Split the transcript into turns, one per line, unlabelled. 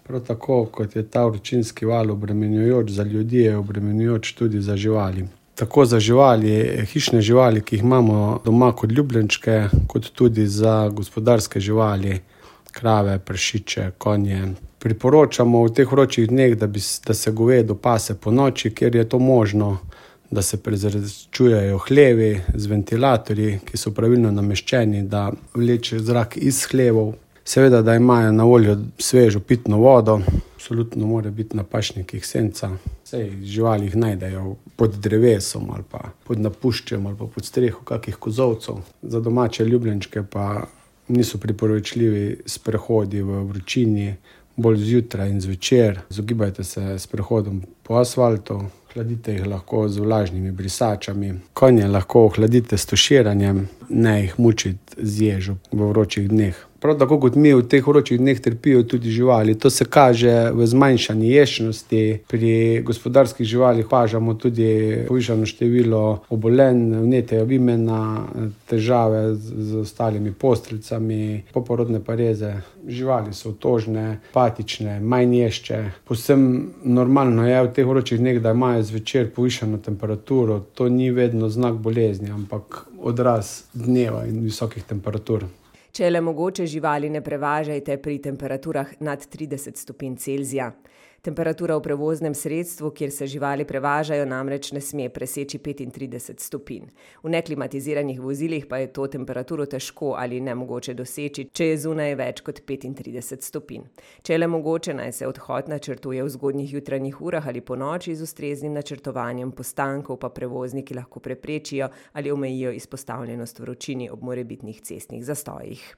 Prav tako, kot je ta vročinski val obremenjujoč za ljudi, je obremenjujoč tudi za živali. Tako za živali, hišne živali, ki jih imamo doma kot ljubljenčke, kot tudi za gospodarske živali, krave, prašiče, konje. Priporočamo v teh vročih dneh, da se govedo pase ponoči, kjer je to možno, da se prezračujejo hlevi z ventilatorji, ki so pravilno nameščeni, da vleče zrak iz hlevov. Seveda, da imajo na voljo svežo pitno vodo, absolutno mora biti na pašnikih senca. Saj živali jih najdejo pod drevesom ali pa pod napuščem ali pa pod streho kakih kozolcev. Za domače ljubljenčke pa niso priporočljivi sprehodi v vročini, bolj zjutraj in zvečer. Izogibajte se sprehodom po asfaltu, hladite jih lahko z vlažnimi brisačami. Konje lahko ohladite s tuširanjem, ne jih mučiti z ježo v vročih dneh. Prav tako kot mi v teh vročih dneh trpijo tudi živali. To se kaže v zmanjšani ješnosti. Pri gospodarskih živalih opažamo tudi povišano število obolenj, vnetja vimena, težave z ostalimi posteljcami, poporodne pareze. Živali so otožne, apatične, manj ješče. Povsem normalno je v teh vročih dneh, da imajo zvečer povišano temperaturo. To ni vedno znak bolezni, ampak odraz dneva in visokih temperatur.
Če je le mogoče, živali ne prevažajte pri temperaturah nad 30 stopinj Celzija. Temperatura v prevoznem sredstvu, kjer se živali prevažajo, namreč ne sme preseči 35 stopinj. V neklimatiziranih vozilih pa je to temperaturo težko ali nemogoče doseči, če je zunaj več kot 35 stopinj. Če je le mogoče, naj se odhod načrtuje v zgodnjih jutranjih urah ali ponoči z ustreznim načrtovanjem postankov, pa prevozniki lahko preprečijo ali omejijo izpostavljenost vročini ob morebitnih cestnih zastojih.